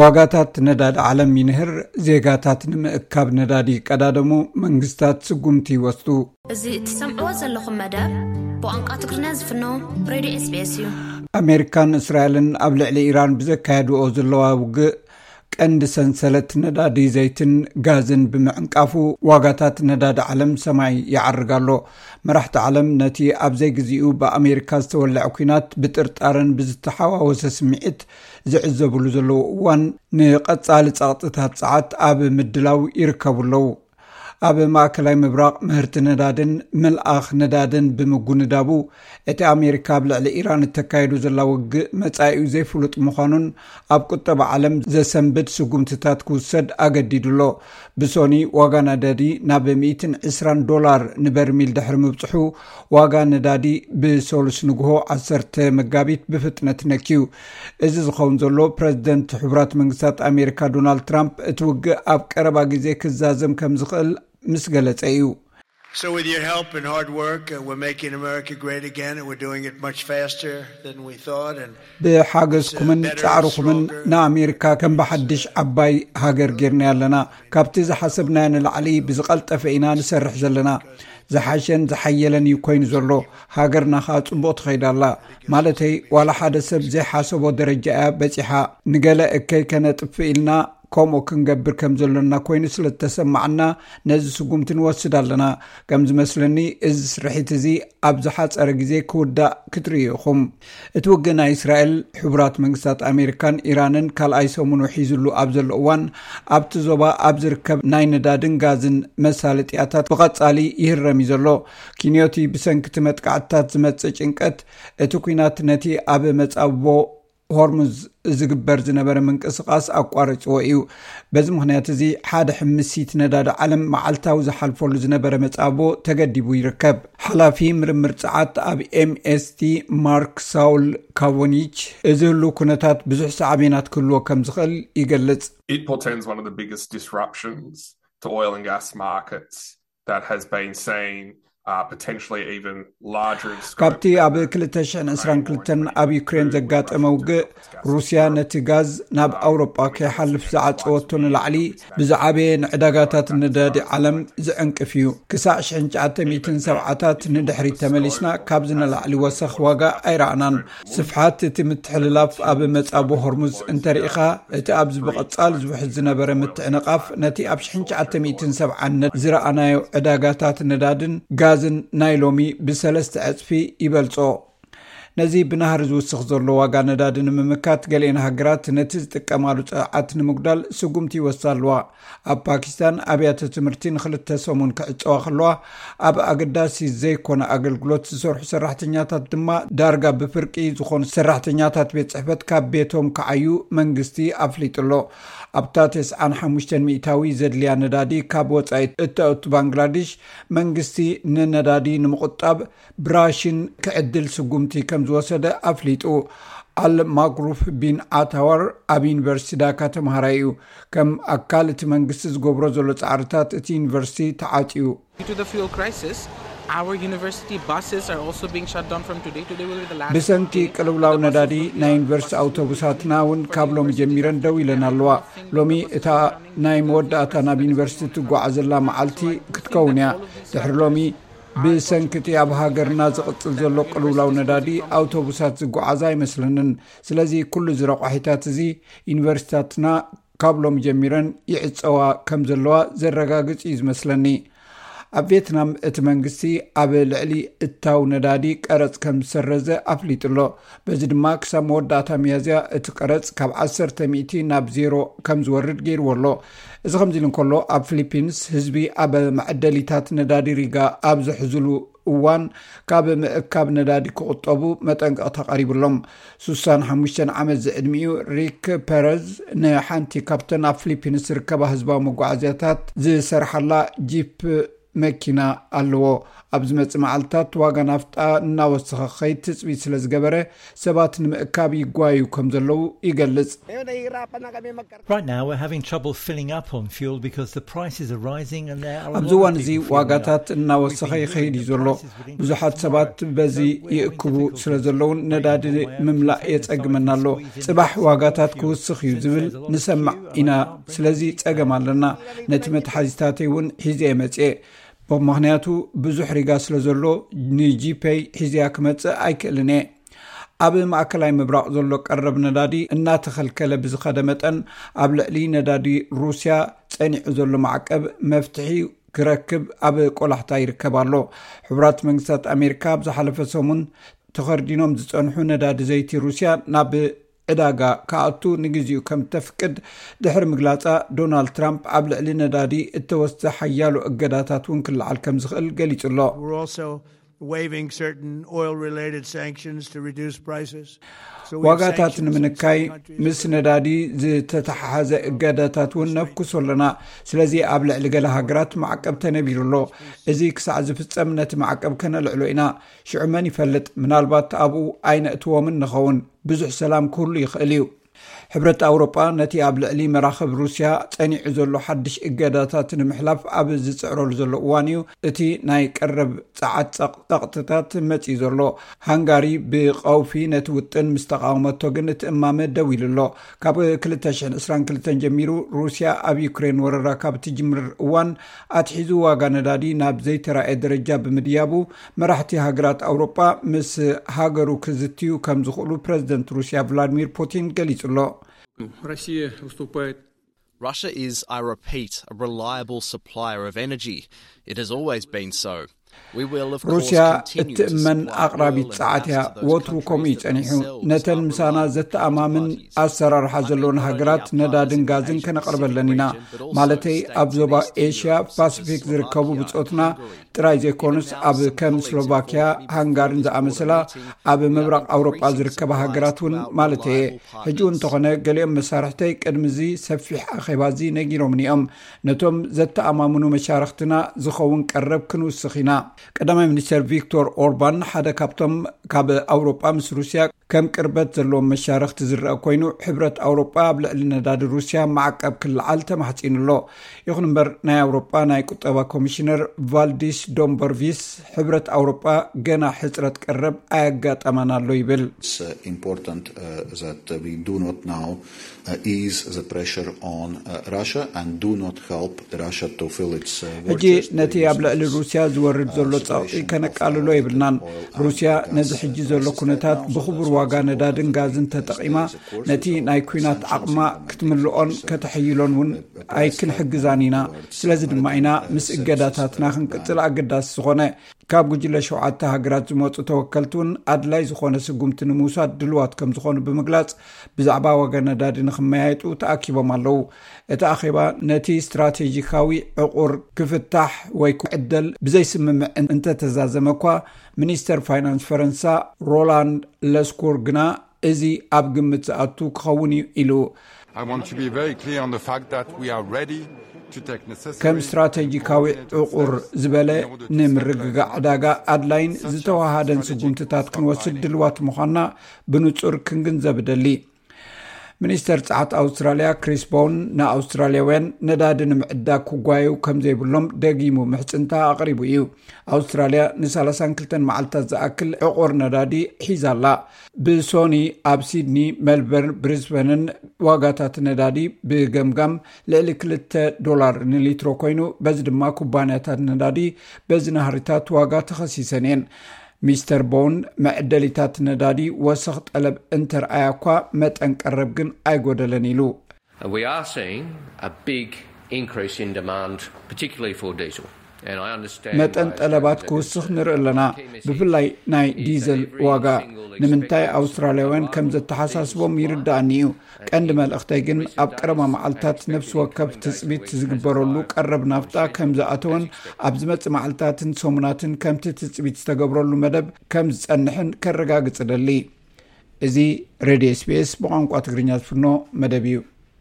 ዋጋታት ነዳዲ ዓለም ይንህር፣ ዜጋታት ንምእካብ ነዳዲ ይቀዳደሙ፣ መንግስታት ስጉምቲ ይወስዱ። እዚ እትሰምዕዎ ዘለኹም መደብ ብቋንቋ ትግርኛ ዝፍኖ ሬድዮ ኤስቢኤስ እዩ። ኣሜሪካን እስራኤልን ኣብ ልዕሊ ኢራን ብዘካየድዎ ዘለዋ ውግእ ቀንዲ ሰንሰለት ነዳዲ ዘይትን ጋዝን ብምዕንቃፉ ዋጋታት ነዳዲ ዓለም ሰማይ ይዓርግ ኣሎ። መራሕቲ ዓለም ነቲ ኣብ ዘይግዚኡ ብኣሜሪካ ዝተወለዐ ኲናት ብጥርጣረን ብዝተሓዋወሰ ስምዒት ዝዕዘብሉ ዘለዉ እዋን፣ ንቐጻሊ ጸቕጥታት ጸዓት ኣብ ምድላው ይርከቡ ኣለዉ። ኣብ ማእከላይ ምብራቕ ምህርቲ ነዳድን ምልኣኽ ነዳድን ብምጉንዳቡ፣ እቲ ኣሜሪካ ኣብ ልዕሊ ኢራን እተካየዱ ዘላ ውግእ መጻኢኡ ዘይፍሉጥ ምዃኑን ኣብ ቁጠባ ዓለም ዘሰንብድ ስጉምትታት ክውሰድ ኣገዲዱ ኣሎ። ብሶኒ ዋጋ ነዳዲ ናብ ሚእትን ዕስራን ዶላር ንበርሚል ድሕሪ ምብጽሑ፣ ዋጋ ነዳዲ ብሰሉስ ንግሆ ዓሰርተ መጋቢት ብፍጥነት ነክዩ። እዚ ዝኸውን ዘሎ፣ ፕረዚደንት ሕቡራት መንግስታት ኣሜሪካ ዶናልድ ትራምፕ እቲ ውግእ ኣብ ቀረባ ግዜ ክዛዘም ከም ዝኽእል ምስ ገለጸ እዩ። So, with your help and hard work, uh, we're making America great again, and we're doing it much faster than we thought. And ብሓገዝኩምን ጻዕርኹምን ንኣሜሪካ ከም ብሓድሽ ዓባይ ሃገር ጌርና ኣለና። ካብቲ ዝሓሰብናዮ ንላዕሊ ብዝቐልጠፈ ኢና ንሰርሕ ዘለና። ዝሓሸን ዝሓየለን እዩ ኮይኑ ዘሎ። ሃገርና ኸኣ ጽቡቕ ትኸይድ ኣላ። ማለተይ፣ ዋላ ሓደ ሰብ ዘይሓሰቦ ደረጃ እያ በጺሓ። ንገለ እከይ ከነጥፍእ ኢልና ከምኡ ክንገብር ከም ዘሎና ኮይኑ ስለ ዝተሰማዓና፣ ነዚ ስጉምቲ ንወስድ ኣለና። ከም ዝመስለኒ፣ እዚ ስርሒት እዚ ኣብ ዝሓጸረ ግዜ ክውዳእ ክትርእዩ ኢኹም። እቲ ውግእ ናይ እስራኤል፣ ሕቡራት መንግስታት ኣሜሪካን ኢራንን ካልኣይ ሰሙኑ ሒዝሉ ኣብ ዘሎ እዋን፣ ኣብቲ ዞባ ኣብ ዝርከብ ናይ ነዳድን ጋዝን መሳለጥያታት ብቐጻሊ ይህረም እዩ ዘሎ። ኪንዮቲ፣ ብሰንኪ እቲ መጥቃዕትታት ዝመጽእ ጭንቀት፣ እቲ ኲናት ነቲ ኣብ መጻብቦ ሆርሙዝ ዝግበር ዝነበረ ምንቅስቓስ ኣቋሪጽዎ እዩ። በዚ ምኽንያት እዚ፣ ሓደ ሕምሲት ነዳዲ ዓለም መዓልታዊ ዝሓልፈሉ ዝነበረ መጻብቦ ተገዲቡ ይርከብ። ሓላፊ ምርምር ጸዓት ኣብ ኤምኤስቲ ማርክ ሳውል ካቮኒች፣ እዚ ህሉ ኩነታት ብዙሕ ሳዕቤናት ክህልዎ ከም ዝኽእል ይገልጽ። It portends one of the biggest disruptions to oil and gas markets that has been seen, uh, potentially even larger in scope. ካብቲ ኣብ ክልተ ሽሕን ዕስራን ክልተን ኣብ ዩክሬን ዘጋጠመ ውግእ፣ ሩስያ ነቲ ጋዝ ናብ ኣውሮጳ ከይሓልፍ ዝዓጸወቶ ንላዕሊ፣ ብዝዓበየ ንዕዳጋታት ነዳዲ ዓለም ዝዕንቅፍ እዩ። ክሳዕ ሽሕን ትሽዓተ ሚእትን ሰብዓታት ንድሕሪት ተመሊስና፣ ካብዚ ንላዕሊ ወሰኽ ዋጋ ኣይረኣናን። ስፍሓት እቲ ምትሕልላፍ ኣብ መጻብቦ ሆርሙዝ እንተርኢኻ፣ እቲ ኣብዚ ብቐጻሊ ዝውሕዝ ዝነበረ ምትዕንቓፍ፣ ነቲ ኣብ ሽሕን ትሽዓተ ሚእትን ሰብዓን ዝረኣናዮ ዕዳጋታት ነዳድን ጋዝን ናይ ሎሚ ብሰለስተ ዕጽፊ ይበልጾ። ነዚ ብናህሪ ዝውስኽ ዘሎ ዋጋ ነዳዲ ንምምካት፣ ገሊአን ሃገራት ነቲ ዝጥቀማሉ ጸዓት ንምጉዳል ስጉምቲ ይወስዳ ኣለዋ። ኣብ ፓኪስታን፣ ኣብያተ ትምህርቲ ንኽልተ ሰሙን ክዕጸዋ ከለዋ፣ ኣብ ኣገዳሲ ዘይኮነ ኣገልግሎት ዝሰርሑ ሰራሕተኛታት ድማ፣ ዳርጋ ብፍርቂ ዝኾኑ ሰራሕተኛታት ቤት ጽሕፈት ካብ ቤቶም ክዓዩ መንግስቲ ኣፍሊጡ ኣሎ። ኣብታ ተስዓን ሓሙሽተን ሚእታዊ ዘድልያ ነዳዲ ካብ ወጻኢ እተእቱ ባንግላዴሽ፣ መንግስቲ ንነዳዲ ንምቑጣብ ብራሽን ክዕድል ስጉምቲ ከም ዝወሰደ ኣፍሊጡ። ኣል ማግሩፍ ቢን ዓታዋር ኣብ ዩኒቨርሲቲ ዳካ ተምሃራይ እዩ። ከም ኣካል እቲ መንግስቲ ዝገብሮ ዘሎ ጻዕርታት፣ እቲ ዩኒቨርሲቲ ተዓጽዩ። Due to the fuel crisis, our university buses are also being shut down from today. Today will be the last ብሰንኪ ቅልውላው ነዳዲ፣ ናይ ዩኒቨርሲቲ ኣውቶቡሳትና እውን ካብ ሎሚ ጀሚረን ደው ኢለን ኣለዋ። ሎሚ እታ ናይ መወዳእታ ናብ ዩኒቨርሲቲ ትጓዓዘላ መዓልቲ ክትከውን እያ። ድሕሪ ሎሚ፣ ብሰንኪ እቲ ኣብ ሃገርና ዝቕጽል ዘሎ ቅልውላው ነዳዲ፣ ኣውቶቡሳት ዝጓዓዛ ኣይመስለንን። ስለዚ፣ ኩሉ እዚ ረቋሒታት እዚ፣ ዩኒቨርሲታትና ካብ ሎሚ ጀሚረን ይዕጸዋ ከም ዘለዋ ዘረጋግጽ እዩ ዝመስለኒ። ኣብ ቬትናም፣ እቲ መንግስቲ ኣብ ልዕሊ እታው ነዳዲ ቀረጽ ከም ዝሰረዘ ኣፍሊጡ ኣሎ። በዚ ድማ፣ ክሳብ መወዳእታ ሚያዝያ፣ እቲ ቀረጽ ካብ ዓሰርተ ሚእቲ ናብ ዜሮ ከም ዝወርድ ገይርዎ ኣሎ። እዚ ከምዚ ኢሉ እንከሎ፣ ኣብ ፊሊፒንስ፣ ህዝቢ ኣብ መዐደሊታት ነዳዲ ሪጋ ኣብ ዝሕዝሉ እዋን፣ ካብ ምእካብ ነዳዲ ክቑጠቡ መጠንቀቕታ ቀሪቡሎም። ሱሳን ሓሙሽተን ዓመት ዝዕድሚኡ ሪክ ፐረዝ፣ ንሓንቲ ካብተን ኣብ ፊሊፒንስ ዝርከባ ህዝባዊ መጓዓዝያታት ዝሰርሓላ ጂፕ መኪና ኣለዎ። ኣብ ዝመጽእ መዓልታት ዋጋ ናፍጣ እናወሰኸ ክኸይድ ትጽቢት ስለ ዝገበረ፣ ሰባት ንምእካብ ይጓዩ ከም ዘለዉ ይገልጽ። Right now, we're having trouble filling up on fuel because the prices are rising and there are a ኣብዚ lot እዋን of እዚ people feeling ዋጋታት that እናወሰኸ we've been ይኸይድ እዩ hearing ዘሎ። that prices would ብዙሓት increase ሰባት tomorrow. በዚ So we're having ይእክቡ difficulties ስለ with ዘለውን weighing ነዳዲ the way up. ምምላእ Containers are የጸግመና ኣሎ። squeezing ጽባሕ the price of ዋጋታት fuel. ክውስኽ እዩ Since ዝብል there's a lot of ንሰማዕ queue, ኢና። I can't ስለዚ bring it ጸገም back. ኣለና። ነቲ መትሓዚታተይ እውን ሒዘ መጽኤ። ብምኽንያቱ ብዙሕ ሪጋ ስለ ዘሎ ንጂፔይ ሒዝያ ክመጽእ ኣይክእልን እየ። ኣብ ማእከላይ ምብራቕ ዘሎ ቀረብ ነዳዲ እናተኸልከለ ብዝኸደ መጠን፣ ኣብ ልዕሊ ነዳዲ ሩስያ ጸኒዑ ዘሎ ማዕቀብ መፍትሒ ክረክብ ኣብ ቆላሕታ ይርከብ ኣሎ። ሕቡራት መንግስታት ኣሜሪካ ኣብ ዝሓለፈ ሰሙን ተኸርዲኖም ዝጸንሑ ነዳዲ ዘይቲ ሩስያ ናብ ዕዳጋ ክኣቱ ንግዜኡ ከም ተፍቅድ ድሕሪ ምግላጻ፣ ዶናልድ ትራምፕ ኣብ ልዕሊ ነዳዲ እተወስደ ሓያሎ እገዳታት እውን ክለዓል ከም ዝኽእል ገሊጹ ኣሎ። We're also waiving certain oil related sanctions to reduce prices. So we have ዋጋታት sanctions on ንምንካይ some countries ምስ that ነዳዲ ዝተተሓሓዘ እገዳታት እውን ነፍኩሶ ኣለና። ስለዚ ኣብ ልዕሊ ገለ ሃገራት ማዕቀብ ተነቢሩ ኣሎ። እዚ ክሳዕ ዝፍጸም ነቲ ማዕቀብ ከነልዕሎ ኢና። ሽዑ መን ይፈልጥ፣ ምናልባት ኣብኡ ኣይነእትዎምን ንኸውን። ብዙሕ ሰላም ክህሉ ይኽእል እዩ። ሕብረት ኣውሮጳ ነቲ ኣብ ልዕሊ መራኽብ ሩስያ ጸኒዑ ዘሎ ሓድሽ እገዳታት ንምሕላፍ ኣብ ዝጽዕረሉ ዘሎ እዋን እዩ እቲ ናይ ቀረብ ጸዓት ጸቕ- ጸቕጥታት መጺኡ ዘሎ። ሃንጋሪ ብቐውፊ ነቲ ውጥን ምስ ተቓወመቶ ግን እቲ እማመ ደው ኢሉ ኣሎ። ካብ ክልተ ሽሕን ዕስራን ክልተን ጀሚሩ ሩስያ ኣብ ዩክሬን ወረራ ካብ ትጅምር እዋን ኣትሒዙ ዋጋ ነዳዲ ናብ ዘይተራእየ ደረጃ ብምድያቡ፣ መራሕቲ ሃገራት ኣውሮጳ ምስ ሃገሩ ክዝትዩ ከም ዝኽእሉ ፕረዚደንት ሩስያ ቭላድሚር ፑቲን ገሊጹ ኣሎ። Россия выступает Russia is, I repeat, a reliable supplier of energy. It has always been so. We will, of course, ሩስያ continue to እትእመን supply ኣቕራቢት oil and ጸዓት እያ። gas to those ወትሩ ከምኡ እዩ countries that ጸኒሑ። themselves ነተን are ምሳና reliable ዘተኣማምን counterparties. ኣሰራርሓ I think ዘለወን not only our ነዳድን partners in ጋዝን Asia ከነቕርበለን Pacific ኢና። region, but also ማለተይ states ኣብ in ዞባ Eastern ኤሽያ Europe, such ፓሲፊክ as ዝርከቡ Slovakia, ብጾትና Hungary. ጥራይ ዘይኮኑስ Even now, ኣብ some ከም colleagues ስሎቫኪያ፣ have called me to ሃንጋሪን speak at a ዝኣመሰላ meeting ኣብ about ምብራቕ ኣውሮጳ increasing ዝርከባ supplies ሃገራት to እውን our ማለት እየ። reliable ሕጂ እውን partners. እንተኾነ ገሊኦም መሳርሕተይ ቅድሚ እዚ ሰፊሕ ኣኼባ እዚ ነጊሮምኒ እዮም። ነቶም ዘተኣማምኑ መሻርኽትና ዝኸውን ቀረብ ክንውስኽ ኢና። ቀዳማይ ሚኒስተር ቪክቶር ኦርባን ሓደ ካብቶም ካብ ኣውሮጳ ምስ ሩስያ ከም ቅርበት ዘለዎም መሻርኽቲ ዝረአ ኮይኑ፣ ሕብረት ኣውሮጳ ኣብ ልዕሊ ነዳዲ ሩስያ ማዕቀብ ክለዓል ተማሕጺኑ ኣሎ። ይኹን እምበር፣ ናይ ኣውሮጳ ናይ ቁጠባ ኮሚሽነር ቫልዲስ ዶምበርቪስ፣ ሕብረት ኣውሮጳ ገና ሕጽረት ቀረብ ኣየጋጠማን ኣሎ ይብል። It's uh, important uh, that uh, we do not now uh, ease the pressure on uh, Russia and do not help Russia to fill its uh, ሕጂ war chest. ነቲ ኣብ ልዕሊ ሩስያ ዝወርድ ዘሎ ጸቕጢ ከነቃልሎ የብልናን። ሩስያ ነዚ ሕጂ ዘሎ ኩነታት ብኽቡር ዋጋ ነዳድን ጋዝን ተጠቒማ ነቲ ናይ ኲናት ዓቕማ ክትምልኦን ከተሐይሎን እውን ኣይክንሕግዛን ኢና። ስለዚ ድማ ኢና ምስ እገዳታትና ክንቅጽል ኣገዳሲ ዝኾነ። ካብ ጉጅለ ሸውዓተ ሃገራት ዝመጹ ተወከልቲ እውን ኣድላይ ዝኾነ ስጉምቲ ንምውሳድ ድልዋት ከም ዝኾኑ ብምግላጽ፣ ብዛዕባ ዋጋ ነዳዲ ንኽመያየጡ ተኣኪቦም ኣለዉ። እቲ ኣኼባ ነቲ ስትራቴጂካዊ ዕቑር ክፍታሕ ወይ ክዕደል ብዘይስምምዕ እንተተዛዘመ እኳ፣ ሚኒስተር ፋይናንስ ፈረንሳ ሮላንድ ለስኩር ግና፣ እዚ ኣብ ግምት ዝኣቱ ክኸውን እዩ ኢሉ። I want to be very clear on the fact that we are ready to take necessary ከም ስትራቴጂካዊ ዕቑር ዝበለ፣ ንምርግጋእ ዕዳጋ ኣድላይን ዝተዋሃደን ስጉምትታት ክንወስድ ድልዋት ምዃንና ብንጹር ክንግንዘብ እደሊ። ሚኒስተር ጸዓት ኣውስትራልያ ክሪስ ቦውን ንኣውስትራልያውያን ነዳዲ ንምዕዳግ ክጓየዩ ከም ዘይብሎም ደጊሙ ምሕጽንታ ኣቕሪቡ እዩ። ኣውስትራልያ ን ሰላሳን ክልተን መዓልታት ዝኣክል ዕቑር ነዳዲ ሒዛ ኣላ። ብሶኒ ኣብ ሲድኒ፣ ሜልበርን ብሪዝበንን ዋጋታት ነዳዲ ብገምጋም ልዕሊ ክልተ ዶላር ንሊትሮ ኮይኑ፣ በዚ ድማ ኩባንያታት ነዳዲ በዚ ናህሪታት ዋጋ ተኸሲሰን እየን። ሚስተር ቦውን፣ መዕደሊታት ነዳዲ ወሰኽ ጠለብ እንተርኣያ እኳ፣ መጠን ቀረብ ግን ኣይጎደለን ኢሉ። We are seeing a big increase in demand, particularly for diesel. And I understand መጠን ጠለባት ክውስኽ ንርኢ ኣለና፣ ብፍላይ ናይ ዲዘል ዋጋ። ንምንታይ ኣውስትራልያውያን ከም ዘተሓሳስቦም ይርዳእኒ እዩ። ቀንዲ መልእኽተይ ግን ኣብ ቀረባ መዓልታት ነፍሲ ወከፍ ትጽቢት ዝግበረሉ ቀረብ ናፍጣ ከም ዝኣተወን ኣብ ዝመጽእ መዓልታትን ሰሙናትን ከምቲ ትጽቢት ዝተገብረሉ መደብ ከም ዝጸንሕን ከረጋግጽ እደሊ። እዚ ሬድዮ ኤስቢኤስ ብቋንቋ ትግርኛ ዝፍኖ መደብ እዩ።